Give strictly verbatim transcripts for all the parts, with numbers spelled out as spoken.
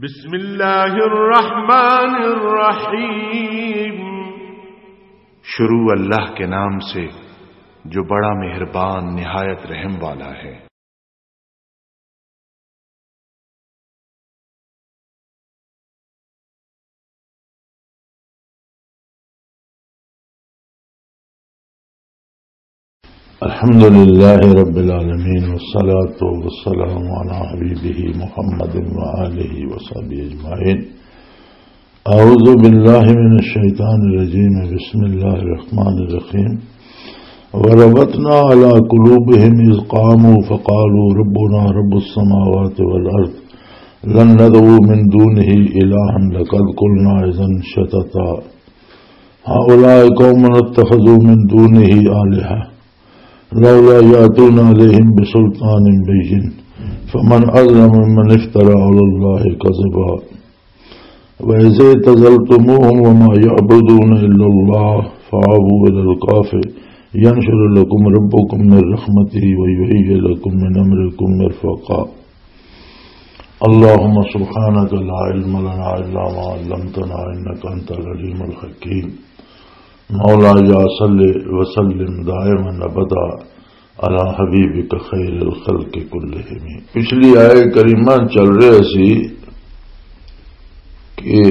بسم اللہ الرحمن الرحیم۔ شروع اللہ کے نام سے، جو بڑا مہربان، نہایت رحم والا ہے۔ الحمد لله رب العالمين، والصلاة والسلام على حبيبه محمد وآله وصحبه أجمعين. أعوذ بالله من الشيطان الرجيم. بسم الله الرحمن الرحيم. وربطنا على قلوبهم إذ قاموا فقالوا ربنا رب السماوات والأرض لن ندعو من دونه إلها لقد قلنا إذا شططا. هؤلاء قوم اتخذوا من دونه آلهة لولا يأتون عليهم بسلطان بين فمن أظلم ممن افترى على الله كذبا. وإذ اعتزلتموهم وما يعبدون إلا الله فأووا إلى الكهف ينشر لكم ربكم من رحمته ويهيئ لكم من أمركم مرفقا. اللهم سبحانك لا علم لنا إلا ما علمتنا إنك أنت العليم الحكيم. مولاي صل وسلم دائما أبدا على حبيبك خير الخلق كلهم. پچھلی آیت کریمہ چل رہے سی کہ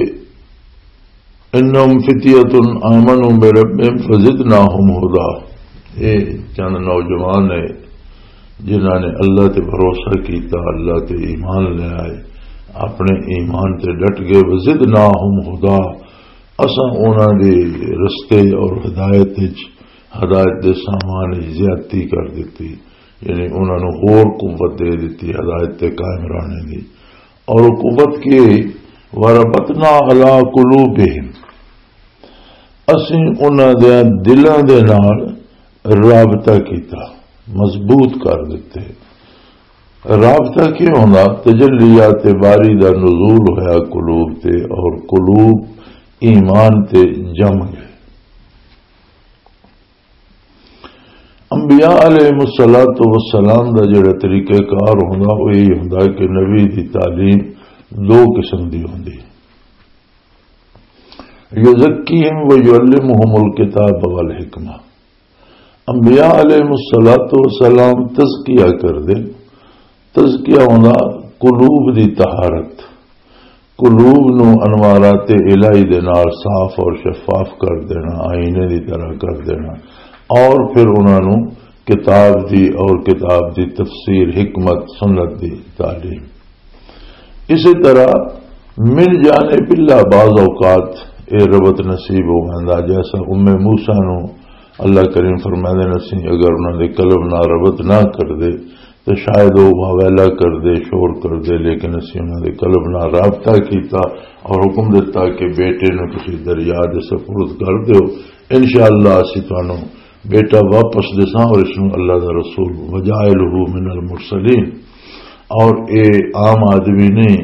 انہم فتیۃ آمنوا بربہم فزدناہم ہدی۔ یہ چند نوجوان نے جنہاں نے اللہ تے بھروسہ کیتا، اللہ تے ایمان لے آئے، اپنے ایمان تے ڈٹ گئے۔ وزدناہم ہدی، اساں انہاں دے رستے اور ہدایت وچ، ہدایت دے سامان وچ زیادتی کر دتی، یعنی انہاں نوں ہور قوت دے دتی ہدایت تے قائم رہنے دی۔ اور وہ قوت کی ہوئی؟ وَرَبَطْنَا عَلَىٰ قُلُوبِهِمْ، اسیں انہاں دے دلاں دے نال رابطہ کیتا، مضبوط کر دتے۔ رابطہ کی ہوندا؟ تجلیات باری دا نزول ہویا قلوب تے، اور قلوب ایمان تے جم گئے۔ انبیاء علیہ الصلوۃ والسلام دا جڑا طریقہ کار ہوندا، وہ یہی ہوندا کہ نبی دی تعلیم دو قسم دی ہوندی۔ یزکیہم و یعلمہم الکتاب والحکمہ۔ انبیاء علیہ الصلوۃ والسلام تزکیہ کر دے۔ تزکیہ ہوندا قلوب دی طہارت، قلوب نو انوارات الہی دے نال صاف اور شفاف کر دینا، آئینے دی طرح کر دینا، اور پھر انہاں نو کتاب دی اور کتاب دی تفسیر، حکمت، سنت دی تعلیم۔ اسی طرح من جانب اللہ بعض اوقات اے ربط نصیب ہو ویندا، جیسا ام موسیٰ نو اللہ کریم فرمائے نے، اسی اگر انہاں دے قلب نہ ربط نہ کر دے تو شاید وہ واویلا کر دے، شور کر دے، لیکن اسی انہاں دے قلب نال رابطہ کیتا اور حکم دتا کہ بیٹے نو تسی دریا دے سپرد کر دیو، انشاءاللہ اسی تانوں بیٹا واپس دساں اور اس نو اللہ دا رسول وجائلہ من المرسلین۔ اور اے عام آدمی نہیں،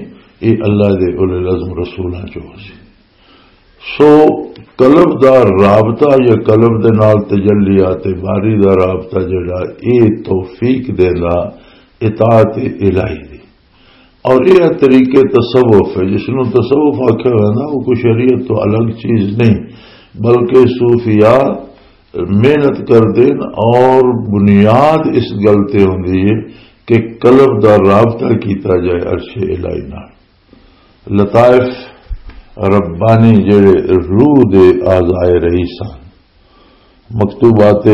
اے اللہ دے اولو العزم رسولاں چوں سی۔ سو قلب دا رابطہ یا قلب دے نال تجلیات باری دا رابطہ جڑا، اے توفیق دیندا اطاعت الہی دی۔ اور یہ طریقے تصوف ہے، جس نوں تصوف آکھیا ویندا، وہ کوئی شریعت تو الگ چیز نہیں، بلکہ صوفیاء محنت کر دین اور بنیاد اس گل تے ہوندی ہے کہ قلب دا رابطہ کیتا جائے عرش الہی نال۔ لطائف ربانی جڑے روح دے اعضائے رئیس ہن۔ مکتوبات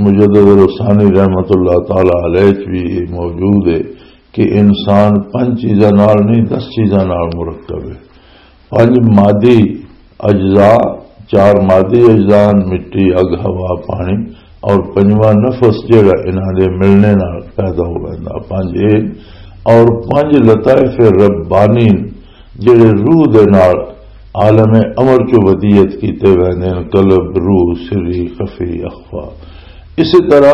مجدد الثانی رحمت اللہ تعالی علیہ وچ بھی یہ موجود ہے کہ انسان پنج چیزاں نال نہیں، دس چیزاں نال مرکب ہے۔ پنج مادی اجزاء، چار مادی اجزاء، مٹی، اگ، ہوا، پانی، اور پنجواں نفس جڑا انہاں دے ملنے نال پیدا ہو ویندا۔ پنج اے اور پنج لطائف ربانی جڑے روح دے نال عالم امر چوں ودیت کیتے ویندے ہن، قلب، روح، سری، خفی، اخفی۔ اسی طرح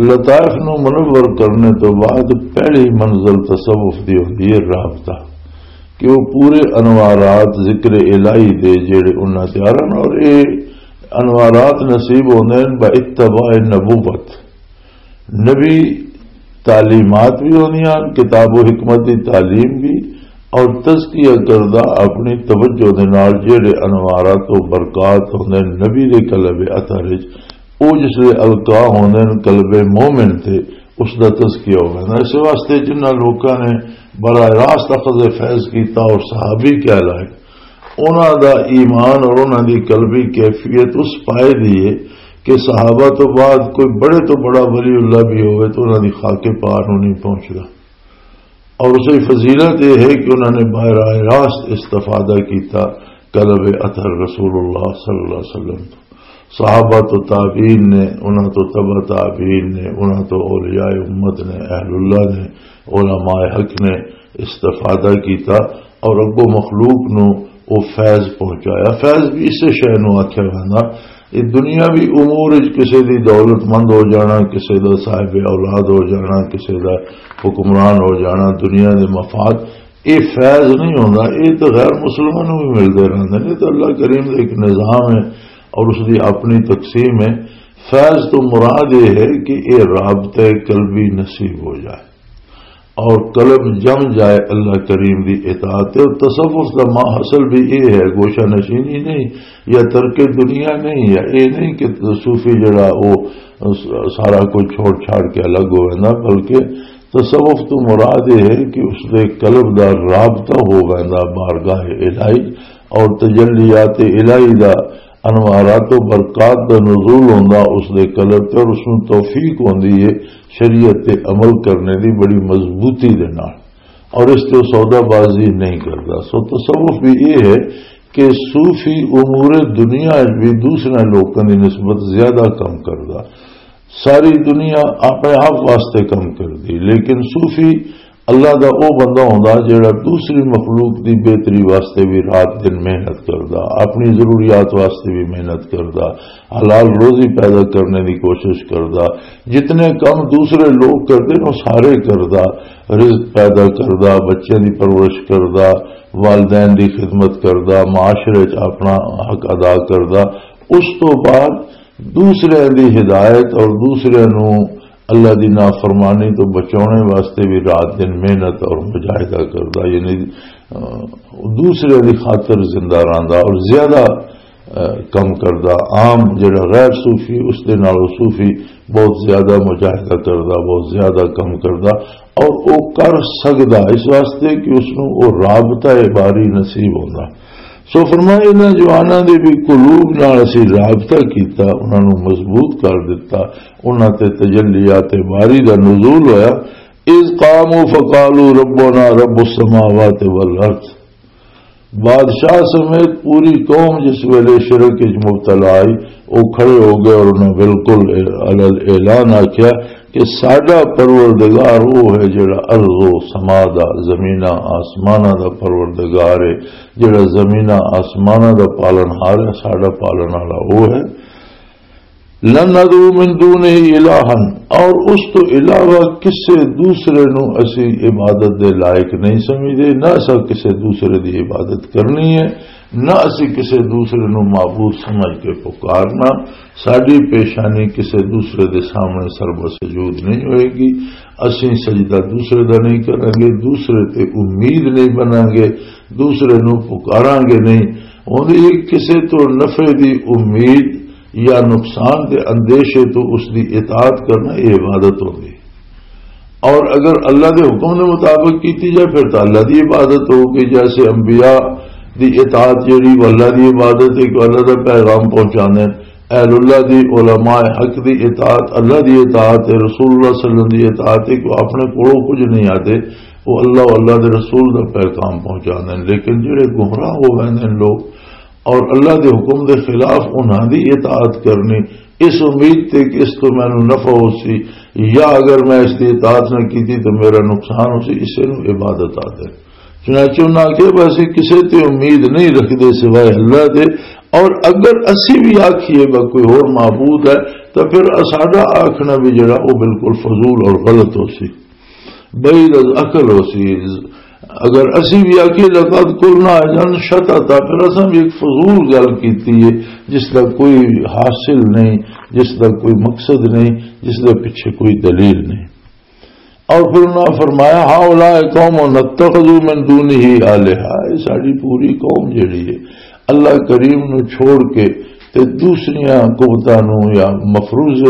لطائف نو منور کرنے تو بعد پہلی منزل تصوف دی ہوندی ہے رابطہ، کہ وہ پورے انوارات ذکر الہی دے جڑے انہاں تیار ہن، اور اے انوارات نصیب ہوندے ہن با اتباع نبوت، نبی تعلیمات بھی ہوندیاں ہن، کتاب و حکمت دی تعلیم بھی، اور تزکیہ کردہ اپنی توجہ دے نال جہڑے انوارات و برکات ہوندے نے نبی دے قلب اطہر وچ، او جس لے القا ہوندے نے قلب مومن تے، اس دا تزکیہ ہو ویندا۔ اس واسطے جنہاں لوکاں نے براہ راست اخذ فیض کیتا اور صحابی کہلائے، انہاں دا ایمان اور انہاں دی قلبی کیفیت اس پائے دی ہے کہ صحابہ تو بعد کوئی بڑے تو بڑا ولی اللہ بھی ہوئے تو انہاں دی خاک پا نوں نہیں پہنچدا۔ اور اس کی فضیلت یہ ہے کہ انہوں نے براہ راست استفادہ کیتا قلب اطہر رسول اللہ صلی اللہ علیہ وسلم تو۔ صحابہ تو تابعین نے، انہوں تو تبع تابعین نے، انہوں تو اولیاء امت نے، اہل اللہ نے، علماء حق نے استفادہ کیتا اور اگوں مخلوق نو وہ فیض پہنچایا۔ فیض بھی اسے شے نو آکھیا ویندا۔ یہ دنیاوی امور وچ کسے دی دولت مند ہو جانا، کسے دا صاحب اولاد ہو جانا، کسے دا حکمران ہو جانا، دنیا دے مفاد، یہ فیض نہیں ہوندا۔ یہ تو غیر مسلمانوں نوں بھی ملدے رہندے نے۔ یہ تو اللہ کریم دا ایک نظام ہے اور اس دی اپنی تقسیم ہے۔ فیض تو مراد یہ ہے کہ یہ رابطہ قلبی نصیب ہو جائے اور قلب جم جائے اللہ کریم دی اطاعت تے۔ اور تصوف دا ماں حاصل بھی یہ ہے، گوشہ نشینی نہیں یا ترک دنیا نہیں، یا یہ نہیں کہ صوفی جڑا وہ سارا کچھ چھوڑ چھاڑ کے الگ ہو ویندا، بلکہ تصوف تو مراد یہ ہے کہ اس دے قلب دا رابطہ ہو ویندا بارگاہ الہی، اور تجلیات الہی دا، انوارات و برکات دا نزول ہوندا اس دے قلب تے، اور اس نوں توفیق ہوندی ہے شریعت تے عمل کرنے دی بڑی مضبوطی دے نال، اور اس تے سودا بازی نہیں کردا۔ سو تصوف بھی یہ ہے کہ صوفی امور دنیا وچ بھی دوسرے لوکاں دی نسبت زیادہ کم کردا۔ ساری دنیا اپنے آپ واسطے کم کردی، لیکن صوفی اللہ دا او بندہ ہوندا جڑا دوسری مخلوق دی بہتری واسطے بھی رات دن محنت کردا، اپنی ضروریات واسطے بھی محنت کردا، حلال روزی پیدا کرنے دی کوشش کردا۔ جتنے کم دوسرے لوگ کردے نے، وہ سارے کردا، رزق پیدا کردا، بچیاں دی پرورش کردا، والدین دی خدمت کردا، معاشرے چ اپنا حق ادا کردا۔ اس تو بعد دوسرے دی ہدایت اور دوسرے نو اللہ دی نافرمانی تو بچانے واسطے بھی رات دن محنت اور مجاہدہ کردا، یعنی، آ، دوسرے دی خاطر زندہ رہندا اور زیادہ، آ، کم کردا۔ عام جڑا غیر صوفی، اس دے نال صوفی بہت زیادہ مجاہدہ کردا، بہت زیادہ کم کردا، اور او کر سکدا اس واسطے کہ اس نوں او رابطہ باری نصیب ہوندا۔ سو فرمایا، انہاں جواناں دے بھی قلوب نال اسی رابطہ کیتا، انہاں نوں مضبوط کر دتا، انہاں تے تجلیات باری دا نزول ہویا۔ اذ قاموا فقالوا ربنا رب السماوات والارض۔ بادشاہ سمیت پوری قوم جس ویلے شرک وچ مبتلا آئی، او کھڑے ہو گئے اور انہاں بالکل علی الاعلان آکھیا کہ ساڈا پروردگار او ہے جڑا ارض و سما دا، زمیناں آسماناں دا پروردگار ہے، جڑا زمیناں آسماناں دا پالن ہار ہے، ساڈا پالن والا او ہے۔ لن ندعو من دونہ الہا، اور اس تو علاوہ کسے دوسرے نو اسی عبادت دے لائق نہیں سمجھدے، نہ اسا کسے دوسرے دی عبادت کرنی ہے، نہ اسی کسے دوسرے نو معبود سمجھ کے پکارنا۔ ساڈی پیشانی کسے دوسرے دے سامنے سرب سجود نہیں ہوئے گی۔ اسی سجدہ دوسرے دا نہیں کریں گے، دوسرے تے امید نہیں بناں گے، دوسرے نو پکاراں گے نہیں۔ اوندی کسے تو نفع دی امید یا نقصان دے اندیشے تو اس دی اطاعت کرنا، یہ عبادت ہوندی۔ اور اگر اللہ دے حکم دے مطابق کیتی جائے، پھر تو اللہ دی عبادت ہوگی۔ جیسے انبیاء دی اطاعت جڑی، وہ اللہ دی عبادت ہے کہ اللہ دا پیغام پہنچانے۔ اہل اللہ دی، علماء حق دی اطاعت اللہ دی اطاعت ہے، رسول اللہ صلی اللہ علیہ وسلم دی اطاعت ہے کہ وہ اپنے کولوں کچھ نہیں آتے، وہ اللہ و اللہ دے رسول دا پیغام پہنچانے۔ لیکن جڑے گمراہ ہو گئے ہیں لوگ، اور اللہ دے حکم دے خلاف انہاں دی اطاعت کرنی، اس امید تے کہ اس تو مینوں نفع ہو سی، یا اگر میں اس دی اطاعت نہ کیتی تو میرا نقصان ہو سی، اسے نوں عبادت آدھے۔ چنانچہ انہاں آکھیا، "بس اسی کسے تے امید نہیں رکھدے سوائے اللہ دے، اور اگر اسی بھی آکھیے با کوئی ہور معبود ہے، تو پھر ساڈا آکھنا بھی جڑا، وہ بالکل فضول اور غلط ہو سی۔" بعید از عقل ہو سی۔ اگر اسی بھی آکھیے، "لقد قلنا اذا شططا"، پھر اساں بھی ایک فضول گل کیتی ہے، جس دا کوئی حاصل نہیں، جس دا کوئی مقصد نہیں، جس دے پیچھے کوئی دلیل نہیں۔ اور پھر انہاں فرمایا، "ہؤلاء قوم نتخذ من دونہ آلہہ"، یہ ساری پوری قوم جڑی ہے، اللہ کریم نو چھوڑ کے تے دوسریاں قوتاں نو یا مفروض،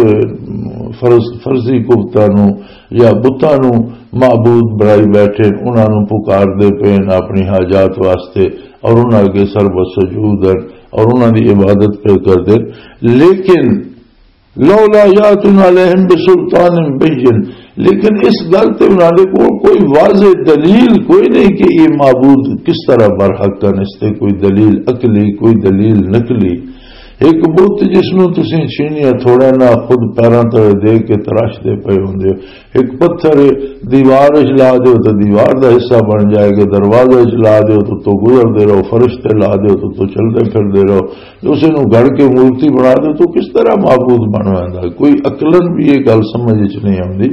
فرض، فرضی قوتاں نو یا بتاں نو معبود بنائی بیٹھے، انہاں نو پکار دے پے نے اپنی حاجات واسطے، اور انہاں اگے سر بسجود ہیں اور انہاں دی عبادت پہ کر دے۔ لیکن لولا یاتون علیہم بسلطان بین، لیکن اس گل تے انہاں دے کول کوئی واضح دلیل کوئی نہیں کہ یہ معبود کس طرح برحق ہیں، اس تے کوئی دلیل عقلی، کوئی دلیل نقلی۔ ایک بت جس نوں تسی چھینیا تھوڑا نہ خود پیراں تلے دے کے تراشدے پئے ہوندے ہو، ایک پتھر دیوار وچ لا دیو تو دیوار دا حصہ بن جائے گا، دروازے وچ لا دیو تو تو گزردے رہو، فرش تے لا دیو تو تو چلدے پھردے رہو، اسے نوں گھڑ کے مورتی بنا دیو تو کس طرح معبود بن ویندا ہے؟ کوئی عقلاً بھی یہ گل سمجھ وچ نہیں آندی،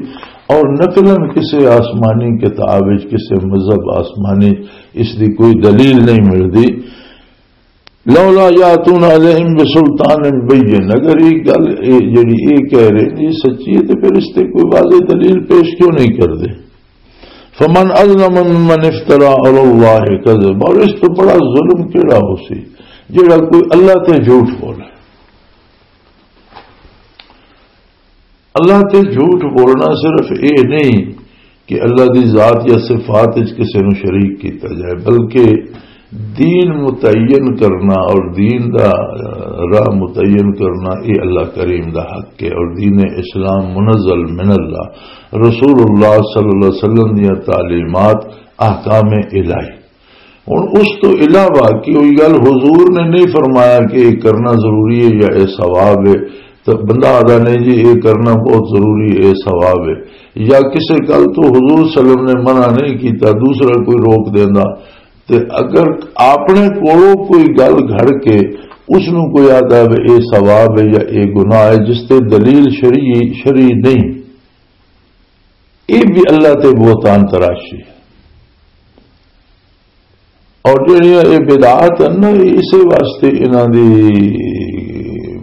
اور نقلاً کسے آسمانی کتاب وچ، کسے مذہب آسمانی، اس دی کوئی دلیل نہیں ملدی۔ لولا یاتون علیہم بسلطان بین، اگر یہ گل، یہ جڑی یہ کہہ رہے ہیں، یہ سچی ہے، تو پھر اس تے کوئی واضح دلیل پیش کیوں نہیں کردے؟ فمن اظلم ممن افترا علی اللہ کذب، اور اس تو بڑا ظلم کیڑا ہو سی جڑا کوئی اللہ تے جھوٹ بولے؟ اللہ تے جھوٹ بولنا صرف یہ نہیں کہ اللہ دی ذات یا صفات وچ کسے نوں شریک کیتا جائے، بلکہ دین متعین کرنا اور دین دا، آ، راہ متعین کرنا، یہ اللہ کریم دا حق ہے۔ اور دین اسلام منزل من اللہ، رسول اللہ صلی اللہ علیہ وسلم دیاں تعلیمات، احکام الہی۔ ہن اس تو علاوہ کہ کوئی گل حضور نے نہیں فرمایا کہ یہ کرنا ضروری ہے یا یہ ثواب ہے، تو بندہ آدھا نہیں جی یہ کرنا بہت ضروری ہے، یہ ثواب ہے، یا کسے گل تو حضور صلی اللہ علیہ وسلم نے منع نہیں کیتا، دوسرا کوئی روک دیندا، تے اگر اپنے کولوں کوئی گل گھڑ کے اس نوں کوئی آدھا وے یہ ثواب ہے یا یہ گناہ ہے جس تے دلیل شرعی، شرعی نہیں، یہ بھی اللہ تے بہتان تراشی ہے۔ اور جڑیاں یہ بدعات ہیں نا، اسے واسطے انہاں دی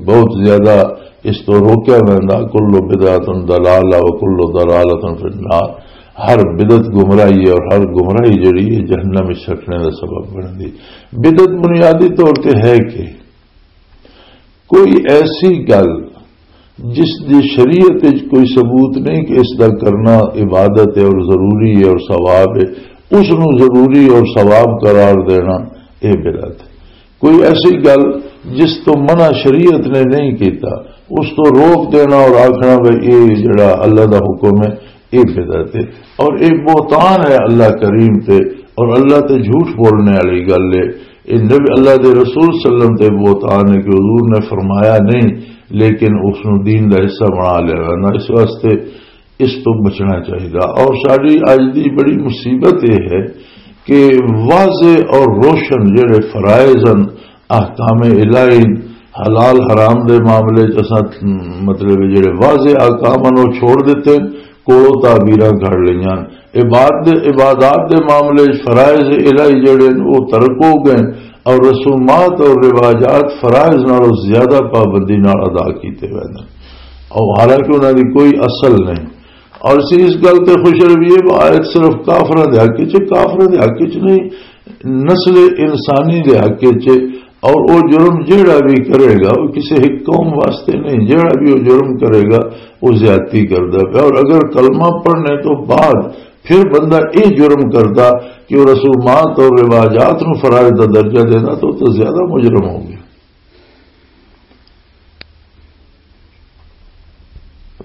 بہت زیادہ اس تو روکیا ویندا۔ کل بدعت ضلالہ و کل ضلالۃ فی النار، ہر بدعت گمراہی ہے اور ہر گمراہی جڑی ہے جہنم وچ سٹنے دا سبب بندی۔ بدعت بنیادی طور تے ہے کہ کوئی ایسی گل جس دی شریعت وچ کوئی ثبوت نہیں کہ اس دا کرنا عبادت ہے اور ضروری ہے اور ثواب ہے، اس نوں ضروری اور ثواب قرار دینا، یہ بدعت ہے۔ کوئی ایسی گل جس تو منع شریعت نے نہیں کیتا، اس تو روک دینا اور آکھنا بھئی یہ جڑا اللہ دا حکم ہے، یہ بدعت ہے اور یہ بہتان ہے اللہ کریم تے، اور اللہ تے جھوٹ بولنے والی گل ہے۔ یہ نبی، اللہ دے رسول صلی اللہ علیہ وسلم تے بہتان ہے کہ حضور نے فرمایا نہیں، لیکن اس نو دین دا حصہ بنا لیا نا۔ اس واسطے اس تو بچنا چاہیے۔ اور ساری اج دی بڑی مصیبت یہ ہے کہ واضح اور روشن جڑے فرائض ہیں، احکام الہی، حلال حرام دے معاملے چ اساں، مطلب، جڑے واضح احکام ہیں، وہ چھوڑ دیتے ہیں، کوڑوں تعبیراں گھڑ لئیاں۔ عباد-، عبادات دے معاملے چ فرائض الہی جڑے ہیں، وہ ترک ہو گئے، اور رسومات اور رواجات فرائض نالوں زیادہ پابندی نال ادا کیتے ہوئے ہیں، اور حالانکہ انہاں دی کوئی اصل نہیں۔ اور اسی اس گل تے خوش رویے، وہ آیت صرف کافراں دے حق وچ، کافراں دے حق وچ نہیں، نسل انسانی دے حق وچ۔ اور وہ جرم جیڑا بھی کرے گا، وہ کسی ایک قوم واسطے نہیں، جیڑا بھی وہ جرم کرے گا، وہ زیادتی کردا پیا۔ اور اگر کلمہ پڑھنے تو بعد پھر بندہ یہ جرم کردا کہ وہ رسومات اور رواجات نو فرائض دا درجہ دینا، تو وہ تو زیادہ مجرم ہو گیا۔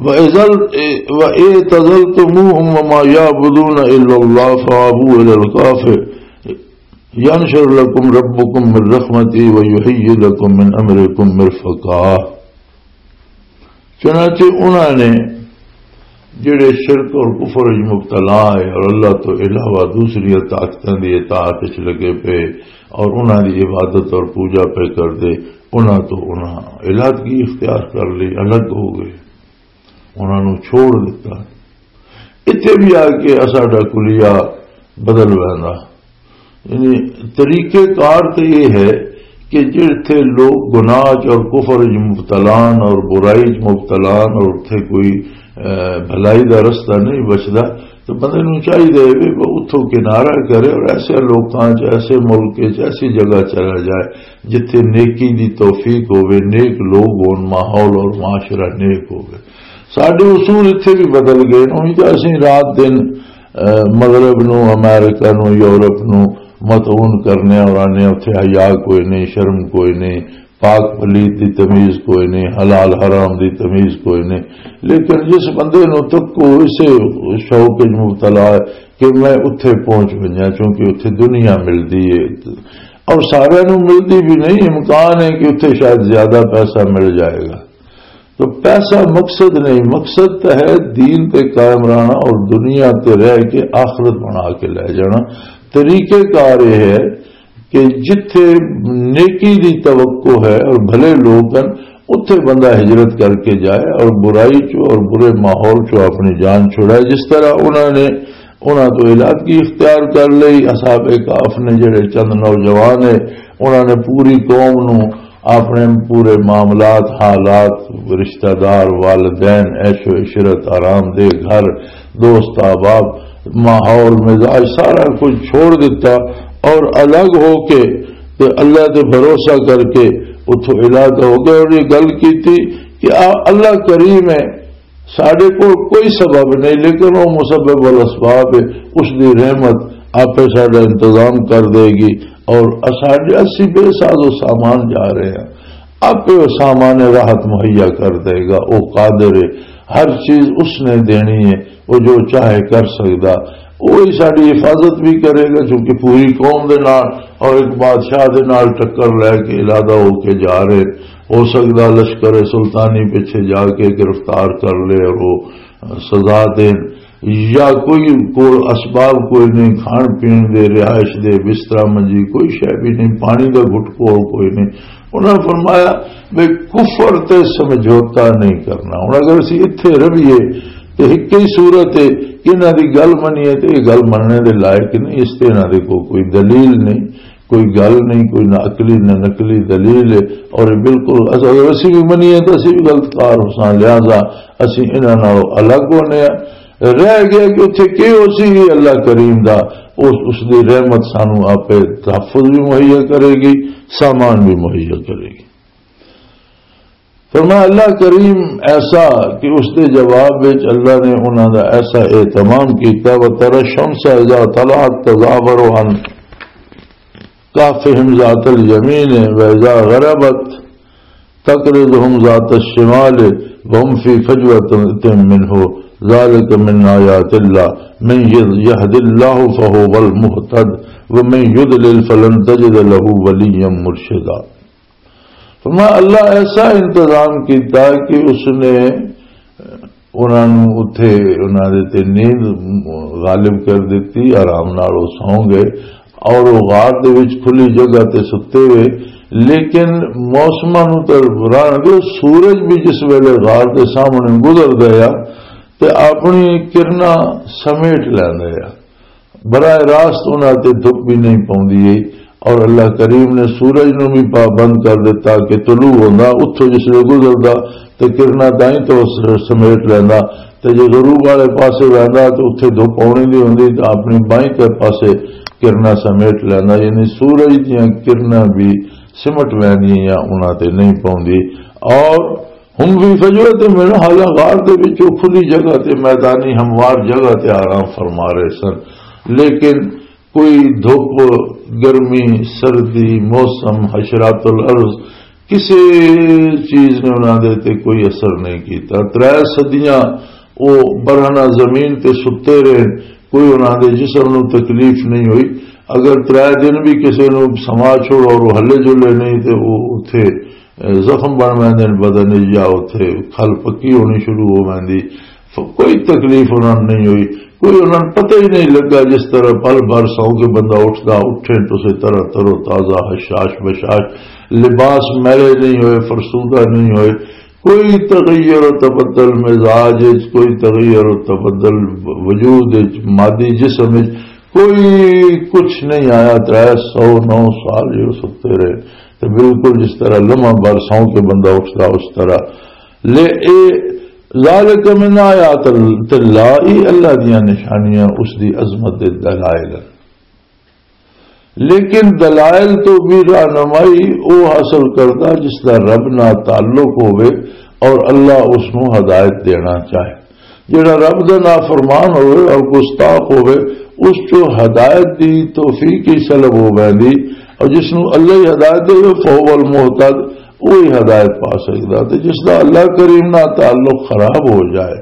وَإِذَا، وَإِذَا اعْتَزَلْتُمُوهُمْ وَمَا يَعْبُدُونَ إِلَّا اللَّهَ فَأَوْوا إِلَى الْكَهْفِ يَنشُرْ لَكُمْ رَبُّكُمْ مِنْ رَحْمَتِهِ وَيُهَيِّئْ لَكُمْ مِنْ أَمْرِكُمْ مِرْفَقًا۔ چنانچہ انہاں نے جڑے شرک اور کفر وچ مبتلا ہے اور اللہ تو علاوہ دوسری طاقتاں دی اطاعت وچ لگے پے اور انہاں دی عبادت اور پوجا پہ کر دے، انہاں تو انہاں علادگی اختیار کر لی، الگ ہو گئے، انہاں نوں چھوڑ دتا۔ اتھے بھی آ کے اساڈا کلیہ بدل ویندا۔ یعنی طریقہ کار تے یہ ہے کہ جتھے لوگ گناہ چ اور کفر چ مبتلا ہن اور برائی چ مبتلا ہن اور اتھے کوئی اے، بھلائی دا رستہ نہیں بچدا۔ تو بندے نوں چاہیدا ہے بھی وہ اتھوں کنارہ کرے اور ایسے لوکاں چ، ایسے ملک چ، ایسی جگہ چلا جائے جتھے نیکی دی توفیق ہوے، نیک لوگ ہون، ماحول اور معاشرہ نیک ہوے۔ ساڈے اصول اتھے بھی بدل گئے۔ اونی تو اسی رات دن، اے، مغرب نو، امریکہ نو، یورپ نو متعون کرنے اور آنے اتھے حیا کوئی نہیں، شرم کوئی نہیں، پاک پلیت دی تمیز کوئی نہیں، حلال حرام دی تمیز کوئی نہیں۔ لیکن جس بندے نو تکو اسے شوق وچ مبتلا ہے کہ میں اتھے پہنچ ونجاں، چونکہ اتھے دنیا ملدی ہے اور سارے نو ملدی بھی نہیں، امکان ہے کہ اتھے شاید زیادہ پیسہ مل جائے گا۔ تو پیسہ مقصد نہیں، مقصد تو ہے دین تے قائم رہنا اور دنیا تے رہ کے آخرت بنا کے لے جانا۔ طریقہ کار یہ ہے کہ جتھے نیکی دی توقع ہے اور بھلے لوگ ہیں، اتھے بندہ ہجرت کر کے جائے اور برائی چو اور برے ماحول چو اپنی جان چھڑائے۔ جس طرح انہوں نے، انہوں تو علاقی اختیار کر لئی، اصحاب کہف نے جڑے چند نوجوان ہے، انہوں نے پوری قوم نو اپنے پورے معاملات، حالات، رشتہ دار، والدین، عیش و عشرت، آرام دہ گھر، دوست احباب، ماحول، مزاج، سارا کچھ چھوڑ دیتا اور الگ ہو کے تے اللہ تے بھروسہ کر کے اتھوں علاقہ ہو گیا اور یہ گل کیتی کہ آ اللہ کریم ہے، ساڈے کول کوئی سبب نہیں، لیکن وہ مسبب الاسباب ہے، اس دی رحمت آپے ساڈا انتظام کر دے گی اور اساڈے، اسی بے ساز و سامان جا رہے ہیں، آپے وہ سامان راحت مہیا کر دے گا۔ وہ قادر ہے، ہر چیز اس نے دینی ہے، وہ جو چاہے کر سکدا۔ وہی ساڈی حفاظت بھی کرے گا، چونکہ پوری قوم دے نال اور ایک بادشاہ دے نال ٹکر لے کے ارادہ ہو کے جا رہے۔ ہو سکدا لشکر سلطانی پیچھے جا کے گرفتار کر لے اور وہ سزا دین، یا کوئی کول اسباب کوئی نہیں، کھان پین دے، رہائش دے، بسترا منجی، کوئی شے بھی نہیں، پانی دا گھٹ کول کوئی نہیں۔ انہاں نے فرمایا، "میں کفر تے سمجھوتا نہیں کرنا۔" ہن اگر اسی اتھے رہیے تے ہک ہی صورت ہے کہ انہاں دی گل منیے تے یہ گل مننے دے لائق نہیں، اس تے انہاں دے کو-، کوئی دلیل نہیں، کوئی گل نہیں، کوئی نہ عقلی نہ نقلی دلیل ہے۔ اور یہ بالکل اگر اسی بھی منیے تو اسی بھی غلط کار ہو ساں، لہذا اسی انہاں نال الگ ہونے ہیں۔ رہ گیا کہ اتھے کی ہو سی اللہ کریم دا، اس، اس دی رحمت سانو آپے تحفظ بھی مہیا کرے گی، سامان بھی مہیا کرے گی۔ فرمایا، اللہ کریم ایسا کہ اس دے جواب وچ اللہ نے انہاں دا ایسا اہتمام کیتا، "وَتَرَى الشَّمْسَ إِذَا طَلَعَتْ تَزَاوَرُ عَنْ كَهْفِهِمْ ذَاتَ الْيَمِينِ وَإِذَا غَرَبَتْ تَقْرِضُهُمْ ذَاتَ الشِّمَالِ وَهُمْ فِي فَجْوَةٍ مِّنْهُ ذَٰلِكَ مِنْ آيَاتِ اللَّهِ مَنْ يَهْدِ اللَّهُ فَهُوَ الْمُهْتَدِ وَمَنْ يُضْلِلْ فَلَنْ تَجِدَ لَهُ وَلِيًّا مُّرْشِدًا۔" فرمایا، اللہ ایسا انتظام کیتا کہ اس نے انہاں نوں اتھے، انہاں دے تے نیند غالب کر دتی، آرام نال وہ سو گئے اور وہ غار دے وچ کھلی جگہ تے ستے ہوئے۔ لیکن موسماں نوں تے راہ نہ دے، سورج بھی جس ویلے غار دے سامنے گزر گیا تے اپنی کرناں سمیٹ لیندا ہے۔ براہ راست انہاں تے دھپ بھی نہیں پوندی ہے، اور اللہ کریم نے سورج نوں بھی پابند کر دتا کہ طلوع ہوندا، اتھوں جس لے گزردا تے کرنا دائیں تو س-، سمیٹ لیندا، تے جو غروب والے پاسے ویندا تے اتھے دھپ آونی دی ہوندی تے اپنی بائیں تے پاسے کرنا سمیٹ لیندا، یعنی سورج دیاں کرناں بھی سمٹ ویندیاں یا انہاں تے نہیں پوندی۔ اور ہم بھی فجوہ تے من، حالاں غار دے وچ او کھلی جگہ تے، میدانی ہموار جگہ تے آرام فرما رہے سن، لیکن کوئی دھوپ، گرمی، سردی، موسم، حشرات الارض، کسے چیز نے انہاں دے تے کوئی اثر نہیں کیتا۔ ترے صدیاں او برہنہ زمین تے ستے رہے، کوئی انہاں دے جسم نوں تکلیف نہیں ہوئی۔ اگر ترے دن بھی کسے نوں سما چھوڑو اور وہ ہلے جلے نہیں تے وہ اتھے زخم بن ویندے نے بدن وچ، یا اتھے کھل پکی ہونی شروع ہو ویندی۔ ف-، کوئی تکلیف انہاں نوں نہیں ہوئی، کوئی انہاں نوں پتہ ہی نہیں لگا۔ جس طرح پل بھر سو کے بندہ اٹھدا، اٹھے تو اسے طرح تر و تازہ، حشاش بشاش، لباس میلے نہیں ہوئے، فرسودہ نہیں ہوئے، کوئی تغیر و تبدل مزاج وچ، کوئی تغیر و تبدل وجود وچ، مادی جسم وچ کوئی کچھ نہیں آیا۔ ترے سو نو سال جو ستے رہے، تو بالکل جس طرح لمحہ بھر سو کے بندہ اٹھدا، اس طرح۔ لے اے ذالک من آیات اللہ، یہ اللہ دیاں نشانیاں، اس دی عظمت دے دلائل ہیں۔ لیکن دلائل تو بھی رہنمائی وہ حاصل کرتا جس دا رب نہ تعلق ہوئے اور اللہ اس نو ہدایت دینا چاہے۔ جڑا رب دا نافرمان ہوئے اور گستاخ ہوئے، اس چو ہدایت دی توفیق ہی سلب ہو ویندی، اور جس نو اللہ ہی ہدایت دے، فہو المہتد، وہی ہدایت پا سکدا۔ تے جس دا اللہ کریم نال تعلق خراب ہو جائے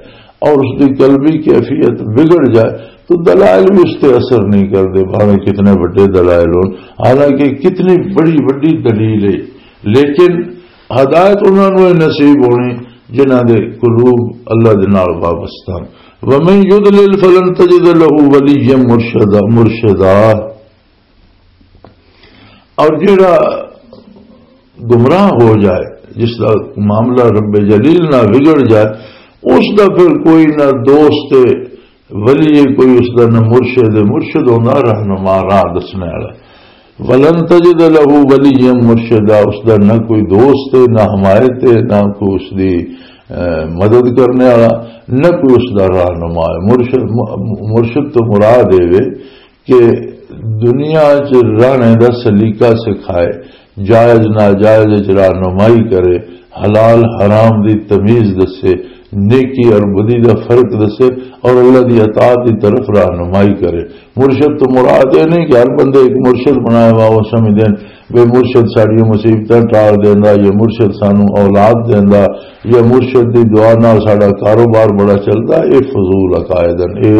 اور اس دی قلبی کیفیت بگڑ جائے، تو دلائل بھی اس تے اثر نہیں کردے، بھاویں کتنے بڑے دلائل ہون۔ حالانکہ کتنی بڑی، بڑی دلیل ہے، لیکن ہدایت انہاں نوں ہی نصیب ہونی جنہاں دے قلوب اللہ دے نال وابستہ ہن۔ وَمَن يُضْلِلْ فَلَن تَجِدَ لَهُ وَلِيًّا مُرْشِدًا، مرشدا۔ اور جڑا گمراہ ہو جائے، جس دا معاملہ رب جلیل نہ بگڑ جائے، اس دا پھر کوئی نہ دوست ولی، کوئی اس دا نہ مرشد، مرشد ہوندا رہنما، راہ دسنے والا۔ وَلَن تَجِدَ لَهُ وَلِيًّا مُرْشِدًا، اس دا نہ کوئی دوست ہے، نہ حمایت ہے، نہ کوئی اس دی، اے، مدد کرنے والا، نہ کوئی اس دا رہنما ہے۔ مرشد، م-، مرشد تو مراد اے وے کہ دنیا چ رہنے دا سلیقہ سکھائے، جائز ناجائز وچ رہنمائی کرے، حلال حرام دی تمیز دسے، نیکی اور بدی دا فرق دسے، اور اللہ دی اطاعت دی طرف رہنمائی کرے۔ مرشد تو مراد یہ نہیں کہ ہر بندے ایک مرشد بنایا ہوا، وہ سمجھدے ہیں بے مرشد ساڈیاں مصیبتاں ٹال دیندا، یا مرشد سانو اولاد دیندا، یا مرشد دی دعا نال ساڈا کاروبار بڑا چلدا۔ یہ فضول عقائد ہیں، یہ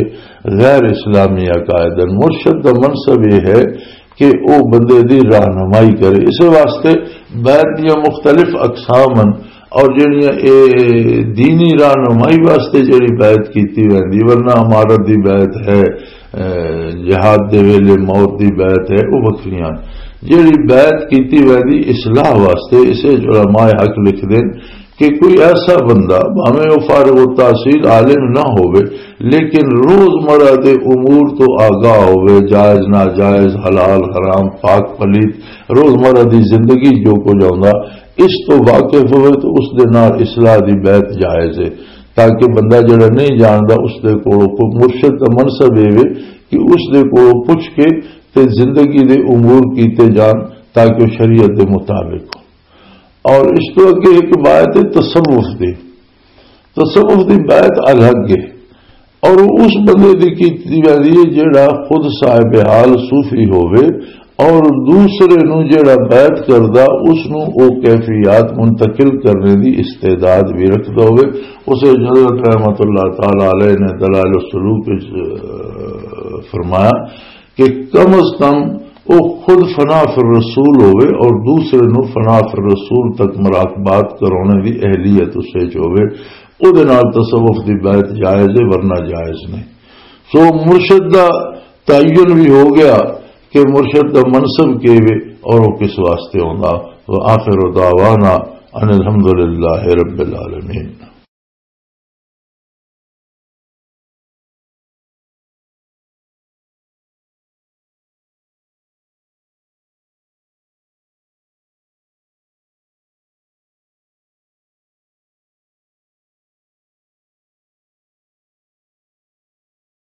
غیر اسلامی عقائد ہیں۔ مرشد دا منصب یہ ہے کہ او بندے دی رہنمائی کرے۔ اس واسطے بیعت دیاں مختلف اقسام ہیں، اور جڑیاں اے دینی رہنمائی واسطے جڑی بیعت کیتی ویندی، ورنہ امارت دی بیعت ہے، اے، جہاد دے ویلے موت دی بیعت ہے، او وکھریاں۔ جڑی بیعت کیتی ویندی اصلاح واسطے، اسے علماء حق لکھ دین کہ کوئی ایسا بندہ، بھاویں او فارغ التحصیل عالم نہ ہووے، لیکن روزمرہ دے امور تو آگاہ ہووے، جائز ناجائز، حلال حرام، پاک پلیت، روزمرہ دی زندگی جو کچھ آوندا، اس تو واقف ہووے تو اس دے نال اصلاح دی بیعت جائز ہے، تاکہ بندہ جڑا نہیں جاندا، اس دے کولوں کوئی مرشد دا منصب اے وے کہ اس دے کولوں پوچھ کے تے زندگی دے امور کیتے جان، تاکہ وہ شریعت دے مطابق ہو۔ اور اس تو اگے ایک بیعت ہے تصوف دی۔ تصوف دی بیعت الگ ہے، اور وہ اس بندے دی کیتی جاندی ہے جڑا خود صاحب حال صوفی ہووے اور دوسرے نو جڑا بیعت کردا، اس نو او کیفیات منتقل کرنے دی استعداد بھی رکھدا ہووے۔ اسے حضرت رحمت اللہ تعالی علیہ نے دلائل السلوک وچ، اہ، فرمایا کہ کم از کم او خود فنا فی الرسول ہووے اور دوسرے نو فنا فی الرسول تک مراقبات کرانے دی اہلیت اس وچ ہووے، او دے نال تصوف دی بیعت جائز ہے، ورنہ جائز نہیں۔ سو مرشد دا تعین بھی ہو گیا کہ مرشد دا منصب کی وے اور وہ کس واسطے ہوندا۔ وآخر دعوانا ان الحمدللہ رب العالمین۔